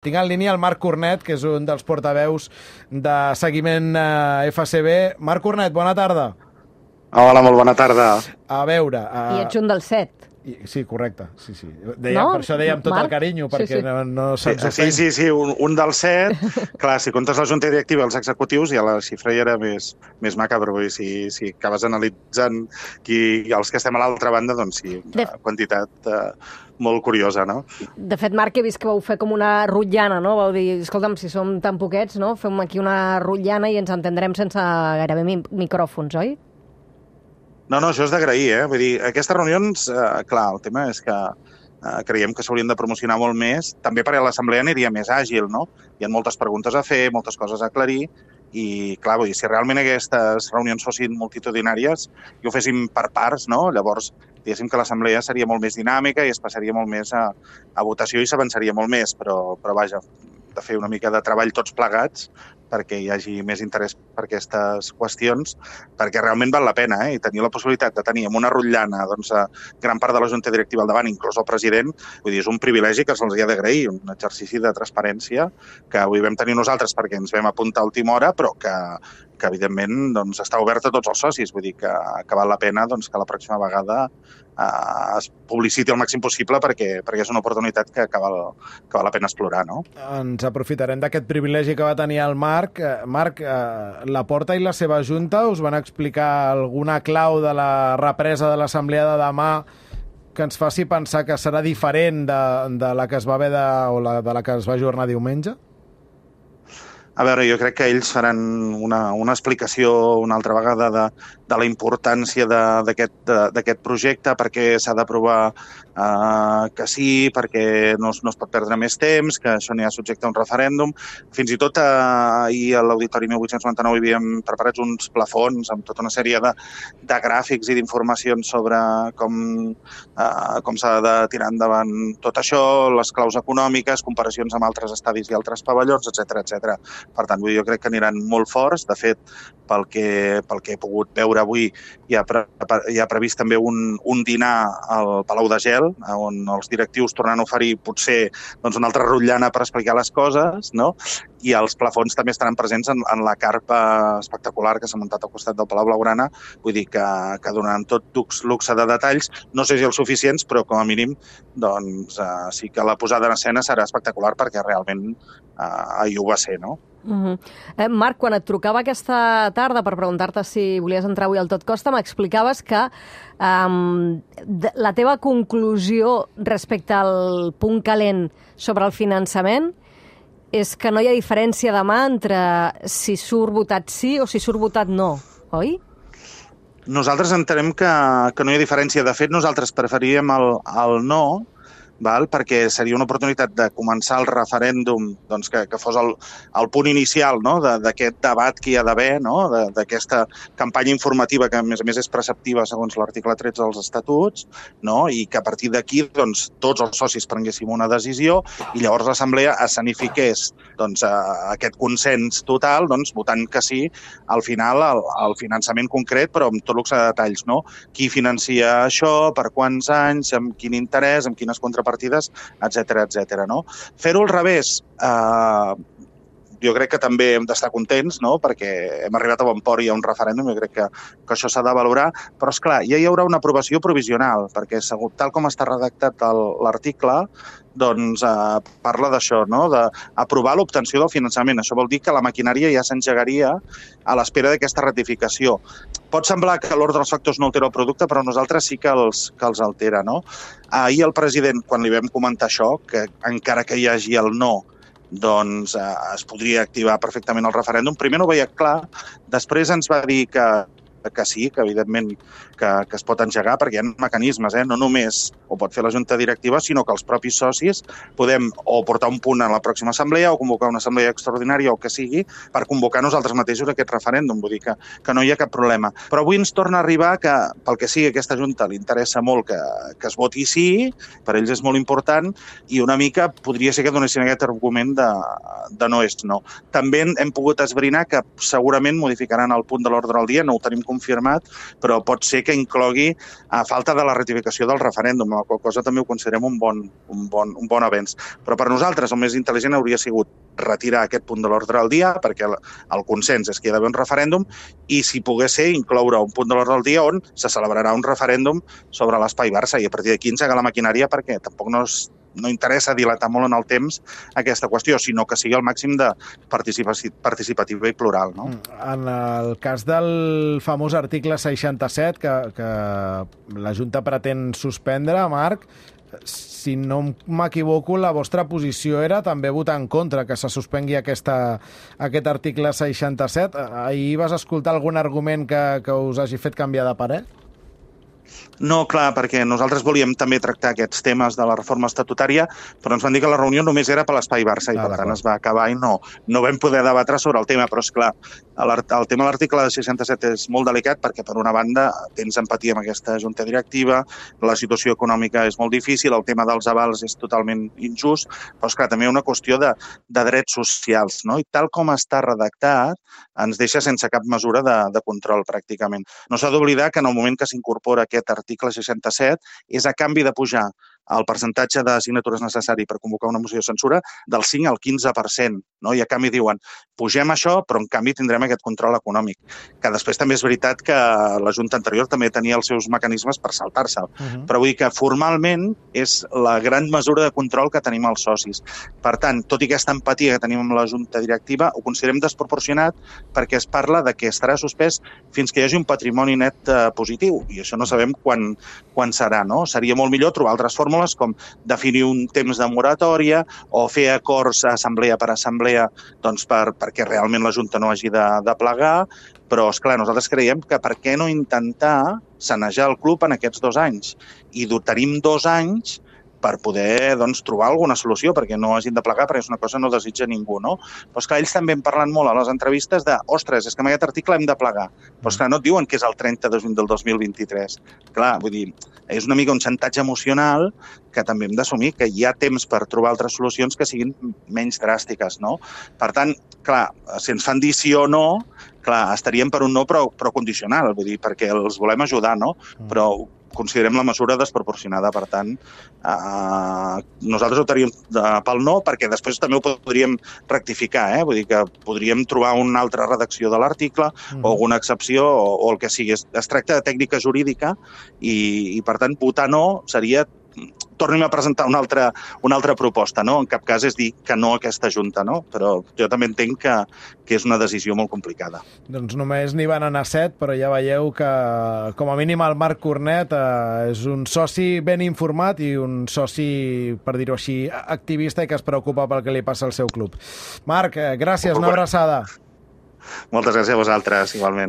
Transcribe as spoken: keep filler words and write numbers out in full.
Tinc en línia el Marc Cornet, que és un dels portaveus de seguiment eh, F C B. Marc Cornet, bona tarda. Hola, molt bona tarda. A veure... Uh... I ets un dels set. I, sí, correcte. Sí, sí. Dèiem, no? Per això dèiem tot Marc? el carinyo, perquè sí, sí. no, no se'ns sí, ofèn. sí, sí, un, un dels set. Clar, si comptes la junta directiva i els executius, ja la xifra ja era més, més macabra. Vull dir, si, si acabes analitzant qui, els que estem a l'altra banda, doncs sí, una de... quantitat eh, molt curiosa, no? De fet, Marc, he vist que vau fer com una rotllana, no? Vau dir, escolta'm, si som tan poquets, no? Fem aquí una rotllana i ens entendrem sense gairebé mi micròfons, oi? No, no, això és d'agrair, eh? Vull dir, aquestes reunions, eh, clar, el tema és que eh, creiem que s'haurien de promocionar molt més, també perquè l'assemblea aniria més àgil, no? Hi ha moltes preguntes a fer, moltes coses a aclarir, i clar, vull dir, si realment aquestes reunions fossin multitudinàries i ho féssim per parts, no? Llavors, diguéssim que l'assemblea seria molt més dinàmica i es passaria molt més a, a votació i s'avançaria molt més, però, però vaja, de fer una mica de treball tots plegats perquè hi hagi més interès per aquestes qüestions, perquè realment val la pena, eh? I tenir la possibilitat de tenir amb una rotllana doncs, a gran part de la junta directiva al davant, inclús el president, vull dir, és un privilegi que se'ls ha d'agrair, un exercici de transparència que avui vam tenir nosaltres perquè ens vam apuntar a última hora, però que, que evidentment doncs, està obert a tots els socis, vull dir que, que val la pena doncs, que la pròxima vegada eh, es publiciti el màxim possible perquè, perquè és una oportunitat que, que, val, que val la pena explorar, no? Ens aprofitarem d'aquest privilegi que va tenir el Marc. Marc, eh, Laporta i la seva junta us van explicar alguna clau de la represa de l'assemblea de demà que ens faci pensar que serà diferent de, de la que es va haver de, o la, de la que es va ajornar diumenge? A veure, jo crec que ells faran una, una explicació una altra vegada de, de la importància d'aquest projecte, perquè s'ha d'aprovar eh, que sí, perquè no, no es pot perdre més temps, que això n'hi ha subjecte a un referèndum. Fins i tot eh, ahir a l'Auditori mil vuit-cents noranta-nou hi havíem preparats uns plafons amb tota una sèrie de, de gràfics i d'informacions sobre com, eh, com s'ha de tirar endavant tot això, les claus econòmiques, comparacions amb altres estadis i altres pavellons, etcètera, etcètera. Per tant, jo crec que aniran molt forts. De fet, pel que, pel que he pogut veure avui, hi ha, pre, hi ha previst també un, un dinar al Palau de Gel, on els directius tornaran a oferir potser doncs, una altra rotllana per explicar les coses, no? I els plafons també estaran presents en, en la carpa espectacular que s'ha muntat al costat del Palau Blaugrana. Vull dir que, que donaran tot luxe de detalls. No sé si els suficients, però com a mínim doncs, eh, sí que la posada en escena serà espectacular perquè realment eh, ahir ho va ser, no? Uh -huh. eh, Marc, quan et trucava aquesta tarda per preguntar-te si volies entrar avui al Tot Costa, m'explicaves que um, la teva conclusió respecte al punt calent sobre el finançament és que no hi ha diferència demà entre si surt votat sí o si surt votat no, oi? Nosaltres entenem que, que no hi ha diferència. De fet, nosaltres preferiríem el, el no, val? Perquè seria una oportunitat de començar el referèndum doncs, que, que fos el, el punt inicial, no? D'aquest de, debat que hi ha d'haver, no? D'aquesta campanya informativa que a més a més és preceptiva segons l'article tretze dels estatuts, no? I que a partir d'aquí doncs, tots els socis prenguéssim una decisió i llavors l'assemblea escenifiqués doncs, a, aquest consens total doncs, votant que sí al final al, al finançament concret, però amb tot luxe de detalls, no? Qui financia això, per quants anys, amb quin interès, amb quines contrapartides partides, etcètera, etcètera, no? Fer-ho al revés, eh, jo crec que també hem d'estar contents, no? Perquè hem arribat a bon port i hi ha un referèndum, jo crec que, que això s'ha de valorar, però és clar, ja hi haurà una aprovació provisional, perquè segur, tal com està redactat l'article, doncs eh, parla d'això, no? D'aprovar l'obtenció del finançament. Això vol dir que la maquinària ja s'engegaria a l'espera d'aquesta ratificació. Pot semblar que l'ordre dels factors no altera el producte, però nosaltres sí que els, que els altera, no? Ahir el president, quan li vam comentar això, que encara que hi hagi el no, doncs eh, es podria activar perfectament el referèndum. Primer no ho veia clar, després ens va dir que que sí, que evidentment que, que es pot engegar, perquè hi ha mecanismes, eh? No només ho pot fer la junta directiva, sinó que els propis socis podem o portar un punt a la pròxima assemblea o convocar una assemblea extraordinària o que sigui per convocar nosaltres mateixos aquest referèndum, vull dir que, que no hi ha cap problema. Però avui ens torna a arribar que, pel que sigui, aquesta junta li interessa molt que, que es voti sí, per ells és molt important, i una mica podria ser que donessin aquest argument de, de no és no. També hem pogut esbrinar que segurament modificaran el punt de l'ordre del dia, no ho tenim confirmat, però pot ser que inclogui a falta de la ratificació del referèndum, la qual cosa també ho considerem un bon, un bon, un bon avenç. Però per nosaltres el més intel·ligent hauria sigut retirar aquest punt de l'ordre del dia, perquè el, el consens és que hi ha d'haver un referèndum, i si pogués ser, incloure un punt de l'ordre del dia on se celebrarà un referèndum sobre l'espai Barça, i a partir d'aquí engegar la maquinària, perquè tampoc no, es, no interessa dilatar molt en el temps aquesta qüestió, sinó que sigui el màxim de participativa i plural. No? En el cas del famós article seixanta-set, que, que la Junta pretén suspendre, Marc, si no m'equivoco, la vostra posició era també votar en contra que se suspengui aquesta, aquest article seixanta-set. Ahir vas escoltar algun argument que, que us hagi fet canviar de parer? No, clar, perquè nosaltres volíem també tractar aquests temes de la reforma estatutària, però ens van dir que la reunió només era per l'Espai Barça i, ah, per tant, es va acabar i no, no vam poder debatre sobre el tema. Però, esclar, el tema de l'article seixanta-set és molt delicat perquè, per una banda, tens empatia amb aquesta junta directiva, la situació econòmica és molt difícil, el tema dels avals és totalment injust, però, esclar, també hi ha una qüestió de, de drets socials, no? I tal com està redactat, ens deixa sense cap mesura de, de control, pràcticament. No s'ha d'oblidar que en el moment que s'incorpora aquest article seixanta-set és a canvi de pujar el percentatge de signatures necessari per convocar una moció de censura del cinc al quinze per cent. No? I a canvi diuen, pugem això, però en canvi tindrem aquest control econòmic. Que després també és veritat que la Junta anterior també tenia els seus mecanismes per saltar-se'l. Uh-huh. Però vull dir que formalment és la gran mesura de control que tenim els socis. Per tant, tot i aquesta empatia que tenim amb la Junta directiva, ho considerem desproporcionat perquè es parla de que estarà suspès fins que hi hagi un patrimoni net eh, positiu. I això no sabem quan, quan serà. No? Seria molt millor trobar altres fórmules com definir un temps de moratòria o fer acords assemblea per assemblea doncs per, perquè realment la Junta no hagi de, de plegar, però, esclar, nosaltres creiem que per què no intentar sanejar el club en aquests dos anys? I tenim dos anys per poder doncs, trobar alguna solució, perquè no hagin de plegar, perquè és una cosa que no desitja ningú, no? Però, esclar, ells també han parlat molt a les entrevistes de ostres, és que amb aquest article hem de plegar. Però, esclar, no et diuen que és el trenta de juny del dos mil vint-i-tres. Clar, vull dir, és una mica un xantatge emocional que també hem d'assumir que hi ha temps per trobar altres solucions que siguin menys dràstiques, no? Per tant, clar, si ens fan dir sí o no, clar, estaríem per un no però, però condicional, vull dir, perquè els volem ajudar, no? Però considerem la mesura desproporcionada, per tant, eh, nosaltres votaríem pel no, perquè després també ho podríem rectificar, eh? Vull dir que podríem trobar una altra redacció de l'article mm. o alguna excepció o, o el que sigui. Es, es tracta de tècnica jurídica i, i per tant, votar no seria tornem a presentar una altra, una altra proposta, no? En cap cas és dir que no a aquesta Junta, no? Però jo també entenc que, que és una decisió molt complicada. Doncs només n'hi van anar set, però ja veieu que, com a mínim, el Marc Cornet eh, és un soci ben informat i un soci, per dir-ho així, activista i que es preocupa pel que li passa al seu club. Marc, eh, gràcies, una abraçada. Moltes gràcies a vosaltres, igualment.